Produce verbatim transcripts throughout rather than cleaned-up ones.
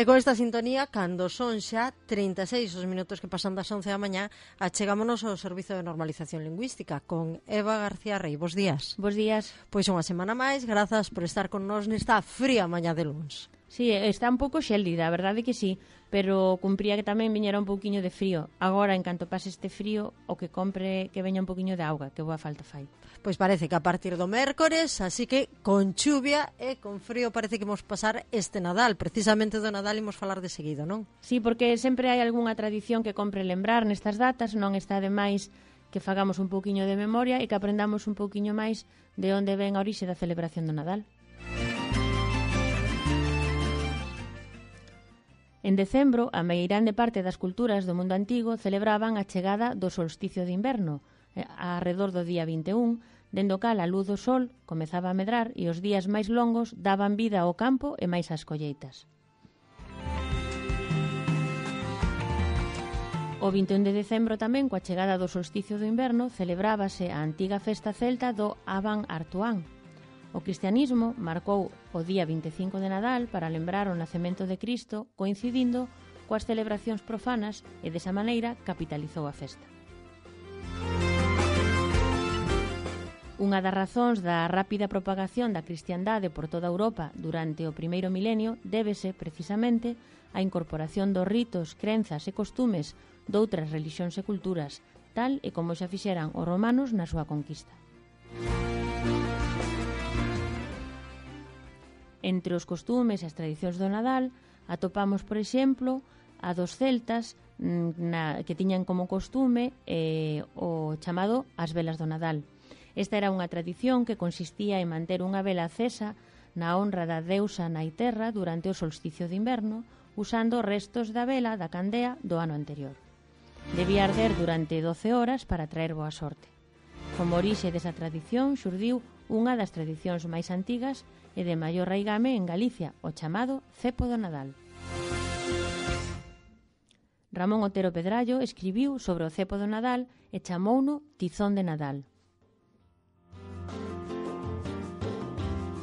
E con esta sintonía, cando son xa trinta e seis os minutos que pasan das once da mañá, achegámonos ao Servizo de Normalización Lingüística con Eva García Rey. Bos días. Bos días. Pois unha semana máis, grazas por estar con nós nesta fría mañá de luns. Sí, está un pouco xélida, a verdade que sí, pero cumpría que tamén viñera un pouquiño de frío. Agora, en canto pase este frío, o que compre que veña un pouquiño de auga, que boa falta fai. Pois parece que a partir do mércores, así que con chuvia e con frío parece que imos pasar este Nadal. Precisamente do Nadal imos falar de seguido, non? Sí, porque sempre hai algunha tradición que compre lembrar nestas datas, non está de máis que fagamos un pouquiño de memoria e que aprendamos un pouquiño máis de onde ven a orixe da celebración do Nadal. En decembro, a meirande parte das culturas do mundo antigo celebraban a chegada do solsticio de inverno, arredor do día vinte e un, dendo cal a luz do sol comezaba a medrar e os días máis longos daban vida ao campo e máis ás colleitas. O vinte e un de decembro tamén, coa chegada do solsticio do inverno, celebrábase a antiga festa celta do Aban Artuán. O cristianismo marcou o día vinte e cinco de Nadal para lembrar o nacemento de Cristo, coincidindo coas celebracións profanas e desa maneira capitalizou a festa. Unha das razóns da rápida propagación da cristiandade por toda Europa durante o primeiro milenio débese, precisamente, á incorporación dos ritos, crenzas e costumes doutras relixións e culturas, tal e como xa fixeran os romanos na súa conquista. Entre os costumes e as tradicións do Nadal atopamos, por exemplo, a dos celtas na, que tiñan como costume eh, o chamado as velas do Nadal. Esta era unha tradición que consistía en manter unha vela acesa na honra da deusa Naiterra durante o solsticio de inverno, usando restos da vela da candea do ano anterior. Debía arder durante doce horas para traer boa sorte. Como orixe desa tradición xurdiu unha das tradicións máis antigas e de maior raigame en Galicia, o chamado cepo do Nadal. Ramón Otero Pedrallo escribiu sobre o cepo do Nadal e chamouno tizón de Nadal.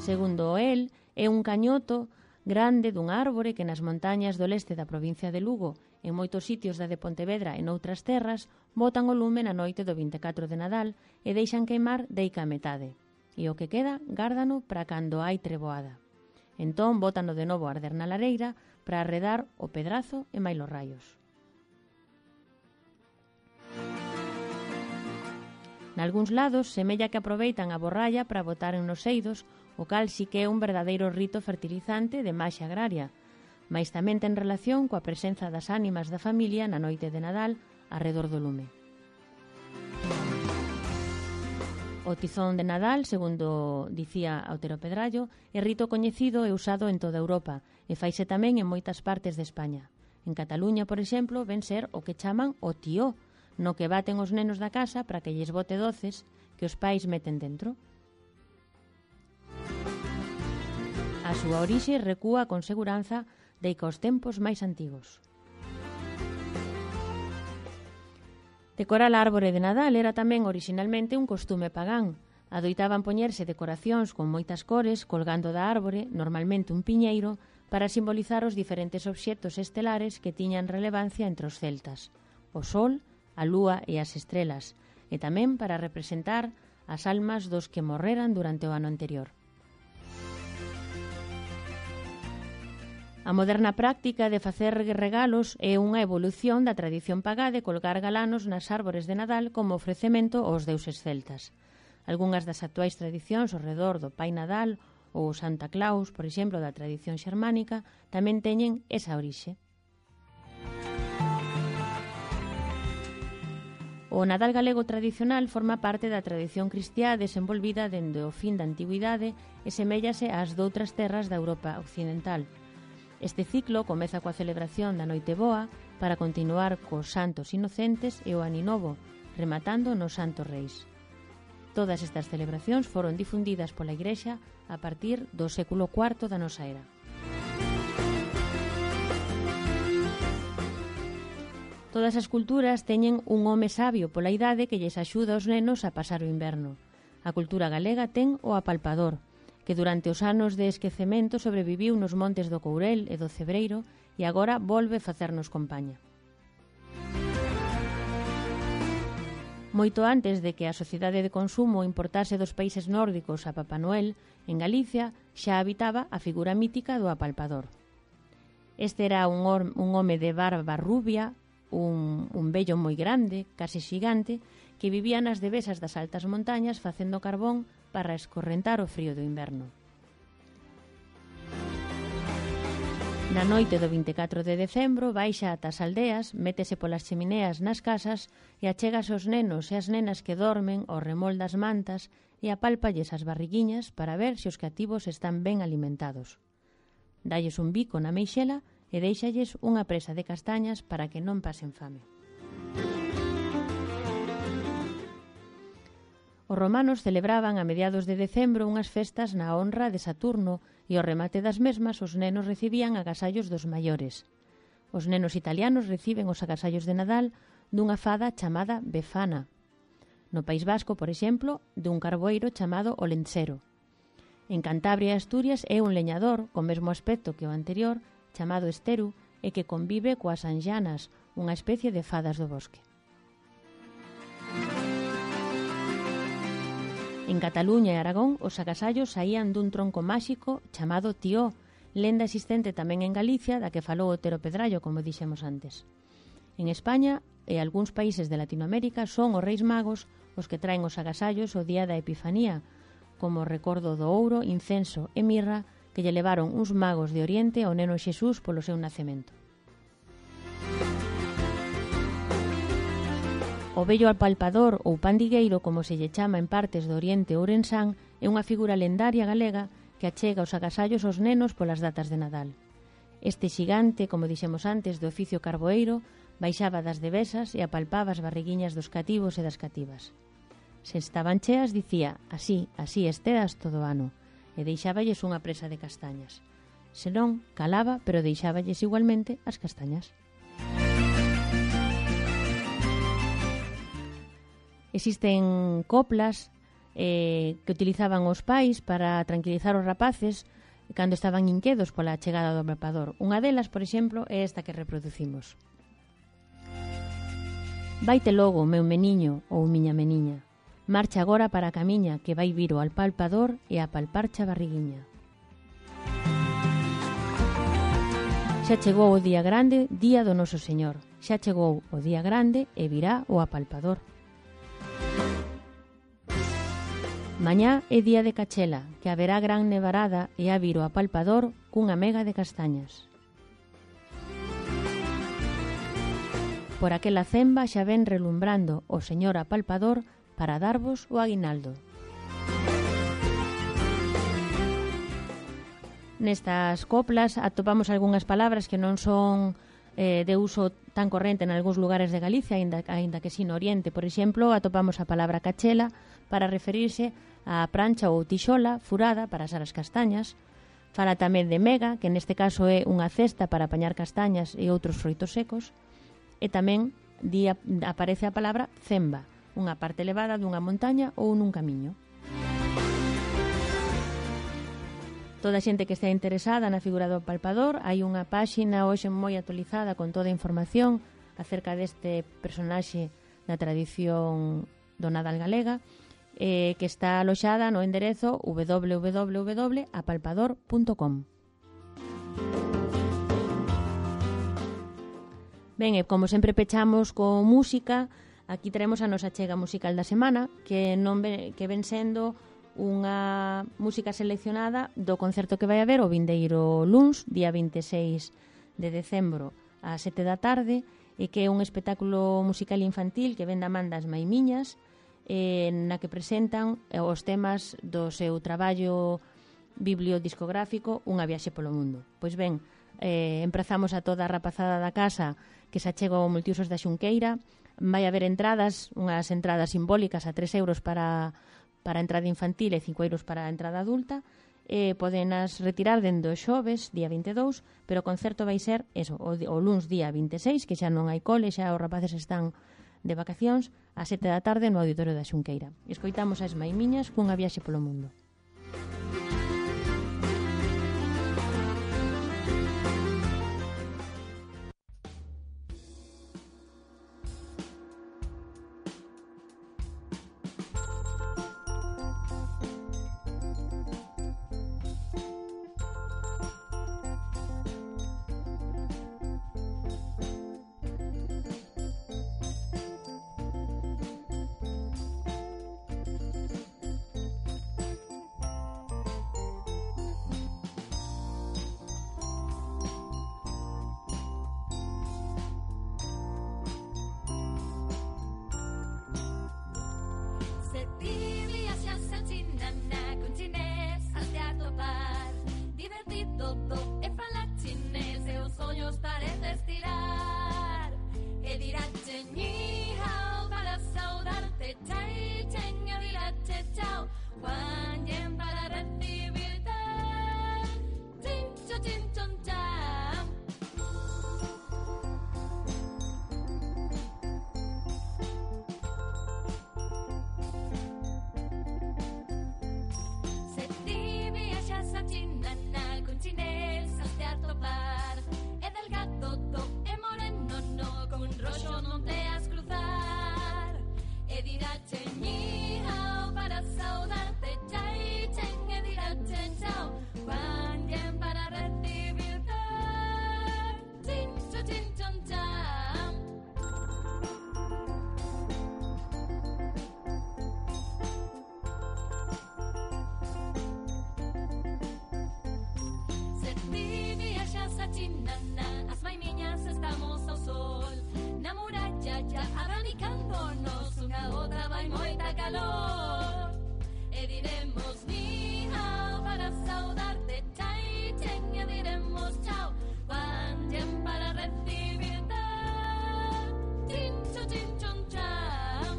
Segundo el, é un cañoto grande dun árbore que nas montañas do leste da provincia de Lugo, en moitos sitios da de Pontevedra e noutras terras, botan o lume na noite do vinte e catro de Nadal e deixan queimar deica a metade. E o que queda, gárdano para cando hai treboada. Entón, bótano de novo a arder na lareira para arredar o pedrazo e mailos raios. Nalgúns lados, semella que aproveitan a borralla para botaren nos eidos, o cal si que é un verdadeiro rito fertilizante de maxia agraria, mais tamén ten relación coa presenza das ánimas da familia na noite de Nadal arredor do lume. O tizón de Nadal, segundo dicía Otero Pedrallo, é rito coñecido e usado en toda Europa e faise tamén en moitas partes de España. En Cataluña, por exemplo, ven ser o que chaman o tío, no que baten os nenos da casa para que lles bote doces que os pais meten dentro. A súa orixe recúa con seguranza deica os tempos máis antigos. Decorar a árbore de Nadal era tamén orixinalmente un costume pagán. Adoitaban poñerse decoracións con moitas cores colgando da árbore, normalmente un piñeiro, para simbolizar os diferentes obxectos estelares que tiñan relevancia entre os celtas: o sol, a lúa e as estrelas, e tamén para representar as almas dos que morreran durante o ano anterior. A moderna práctica de facer regalos é unha evolución da tradición pagá de colgar galanos nas árbores de Nadal como ofrecemento aos deuses celtas. Algunhas das actuais tradicións ao redor do Pai Nadal ou Santa Claus, por exemplo, da tradición xermánica, tamén teñen esa orixe. O Nadal galego tradicional forma parte da tradición cristiá desenvolvida dende o fin da antigüidade e seméllase ás doutras terras da Europa occidental. Este ciclo comeza coa celebración da Noiteboa para continuar cos Santos Inocentes e o Aninovo, rematando nos Santos Reis. Todas estas celebracións foron difundidas pola Igrexa a partir do século cuarto da nosa era. Todas as culturas teñen un home sabio pola idade que lles axuda aos nenos a pasar o inverno. A cultura galega ten o apalpador, que durante os anos de esquecemento sobreviviu nos montes do Courel e do Cebreiro e agora volve facernos compaña. Moito antes de que a sociedade de consumo importase dos países nórdicos a Papá Noel, en Galicia xa habitaba a figura mítica do apalpador. Este era un, or, un home de barba rubia, un, un vello moi grande, case xigante, que vivía nas devesas das altas montañas facendo carbón para escorrentar o frío do inverno. Na noite do vinte e catro de decembro baixa ata as aldeas, métese polas chemineas nas casas e achégase aos nenos e as nenas que dormen ao remol das mantas e apálpalles as barriguiñas para ver se os cativos están ben alimentados. Dalles un bico na meixela e deixalles unha presa de castañas para que non pasen fame. Os romanos celebraban a mediados de decembro unhas festas na honra de Saturno e ao remate das mesmas os nenos recibían agasallos dos maiores. Os nenos italianos reciben os agasallos de Nadal dunha fada chamada Befana. No País Vasco, por exemplo, dun carboeiro chamado o Lentsero. En Cantabria e Asturias é un leñador, co mesmo aspecto que o anterior, chamado Esteru, e que convive coas anxanas, unha especie de fadas do bosque. En Cataluña e Aragón, os agasallos saían dun tronco máxico chamado Tió, lenda existente tamén en Galicia, da que falou Otero Pedrallo, como dixemos antes. En España e algúns países de Latinoamérica son os Reis Magos os que traen os agasallos o día da Epifanía, como recordo do ouro, incenso e mirra que lle levaron uns magos de Oriente ao neno Xesús polo seu nacemento. O vello apalpador ou pandigueiro, como se lle chama en partes do Oriente ourensán, é unha figura lendaria galega que achega os agasallos aos nenos polas datas de Nadal. Este xigante, como dixemos antes, do oficio carboeiro, baixaba das devesas e apalpaba as barriguiñas dos cativos e das cativas. Se estaban cheas, dicía, así, así esteas todo o ano, e deixáballes unha presa de castañas. Se non, calaba, pero deixáballes igualmente as castañas. Existen coplas eh, que utilizaban os pais para tranquilizar os rapaces cando estaban inquedos pola chegada do apalpador. Unha delas, por exemplo, é esta que reproducimos. Vaite logo, meu meniño ou miña meniña. Marcha agora para a camiña que vai vir o apalpador e a palparcha a barriguiña. Xa chegou o día grande, día do noso Señor. Xa chegou o día grande e virá o apalpador. Mañá é día de cachela, que haberá gran nevarada e a vir o apalpador cunha mega de castañas. Por aquela cemba xa ven relumbrando o señor apalpador para darvos o aguinaldo. Nestas coplas atopamos algunhas palabras que non son eh, de uso tan corrente en algúns lugares de Galicia, aínda, aínda que si no Oriente. Por exemplo, atopamos a palabra cachela para referirse a prancha ou tixola furada para asar as castañas. Fala tamén de mega, que neste caso é unha cesta para apañar castañas e outros froitos secos. E tamén di, aparece a palabra cemba, unha parte elevada dunha montaña ou nun camiño. Toda a xente que está interesada na figura do apalpador, hai unha páxina hoxe moi actualizada con toda a información acerca deste personaxe da tradición do Nadal galega, eh, que está aloxada no enderezo w w w punto apalpador punto com. Ben, e como sempre pechamos con música, aquí teremos a nosa chega musical da semana, que non ve, que ven sendo unha música seleccionada do concerto que vai haber o vindeiro luns, día vinte e seis de decembro, ás sete da tarde, e que é un espectáculo musical infantil que ven da man das Maimiñas, eh, na que presentan os temas do seu traballo bibliodiscográfico Unha viaxe polo mundo. Pois ben, eh, emprazamos a toda a rapazada da casa que se achega ao Multiusos da Xunqueira. Vai haber entradas, unhas entradas simbólicas a tres euros para, para a entrada infantil e cinco euros para a entrada adulta. Eh, podenas retirar dende o xoves, día vinte e dous, pero o concerto vai ser eso, o, o luns día vinte e seis, que xa non hai cole, xa os rapaces están de vacacións, a sete da tarde no Auditorio da Xunqueira. Escoitamos as Maimiñas cunha viaxe polo mundo. chinana, as maimiñas estamos ao sol. Na muralla ya abanicándonos, unha outra vai moita calor. E diremos ni hao para saudarte, chai chen, e diremos chao, guanyen para recibirte, chincho, chinchon, chao.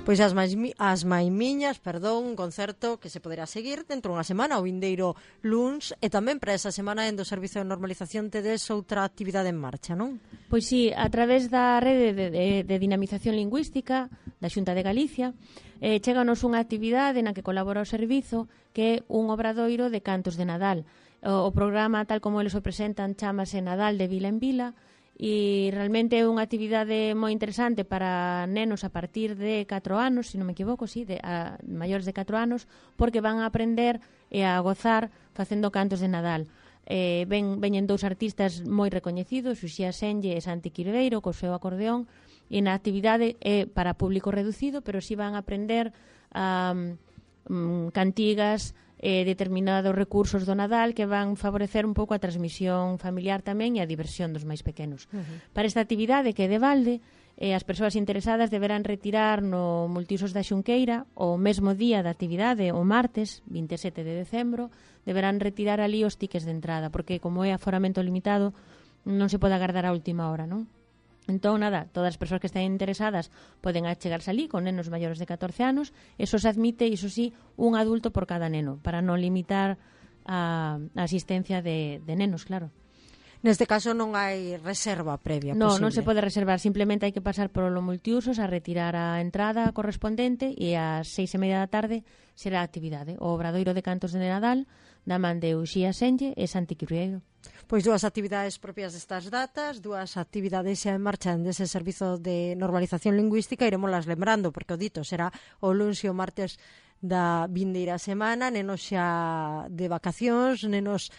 Pois as, maimi, as maimiñas, perdón, un concerto que se poderá seguir dentro dunha semana, o vindeiro luns, e tamén para esa semana en do Servizo de Normalización tedes outra actividade en marcha, non? Pois sí, a través da rede de, de, de dinamización lingüística da Xunta de Galicia, eh, cheganos unha actividade na que colabora o servizo, que é un obradoiro de cantos de Nadal. O, o programa, tal como eles o presentan, chamase Nadal de Vila en Vila, e realmente é unha actividade moi interesante para nenos a partir de catro anos, se non me equivoco, sí, de, a maiores de catro anos, porque van a aprender e a gozar facendo cantos de Nadal. Eh, ven, veñen dous artistas moi recoñecidos, Uxía Senlle e Santi Quirveiro, co seu acordeón, e na actividade é para público reducido, pero si van a aprender um, um, cantigas, eh, determinados recursos do Nadal que van favorecer un pouco a transmisión familiar tamén e a diversión dos máis pequenos. Uh-huh. Para esta actividade que é de balde, eh, as persoas interesadas deberán retirar no Multiusos da Xunqueira o mesmo día da actividade, o martes, vinte e sete de decembro, deberán retirar ali os tickets de entrada, porque como é aforamento limitado, non se pode agardar a última hora, non? Entón, nada, todas as persoas que estén interesadas poden achegarse ali con nenos maiores de catorce anos. Eso se admite, iso sí, un adulto por cada neno, para non limitar a, a asistencia de, de nenos, claro. Neste caso non hai reserva previa no, posible. Non se pode reservar, simplemente hai que pasar por lo multiusos a retirar a entrada correspondente e ás seis e media da tarde será a actividade. O obradoiro de cantos de Nadal da man de Uxía Senlle e Santi Quirveiro. Pois dúas actividades propias destas datas, dúas actividades xa en marcha dese Servizo de Normalización Lingüística, iremoslas lembrando, porque o dito será o luns e o martes da vindeira semana, nenos xa de vacacións, nenos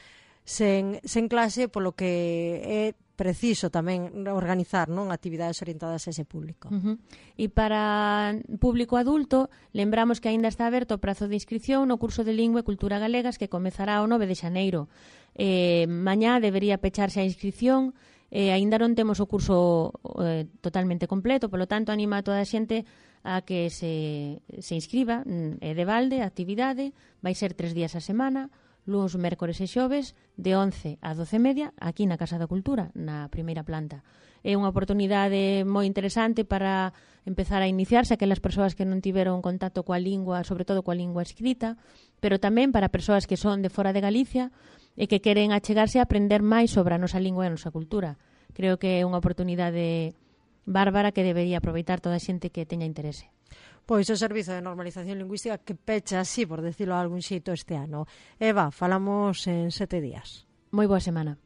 sen, sen clase, polo que é preciso tamén organizar, non, actividades orientadas a ese público. Uh-huh. E para público adulto, lembramos que aínda está aberto o prazo de inscripción no curso de Lingua e Cultura Galegas que comezará o nove de xaneiro. Eh, mañá debería pecharse a inscripción, eh, aínda non temos o curso eh, totalmente completo, polo tanto anima a toda a xente a que se, se inscriba, é de balde, a actividade, vai ser tres días a semana, luns, mércores e xoves, de once a doce e media, aquí na Casa da Cultura, na primeira planta. É unha oportunidade moi interesante para empezar a iniciarse aquelas persoas que non tiveron contacto coa lingua, sobre todo coa lingua escrita, pero tamén para persoas que son de fora de Galicia e que queren achegarse a aprender máis sobre a nosa lingua e a nosa cultura. Creo que é unha oportunidade bárbara que debería aproveitar toda a xente que teña interese. Pois o Servizo de Normalización Lingüística que pecha así, por decirlo de algún xeito, este ano. Eva, falamos en sete días. Moi boa semana.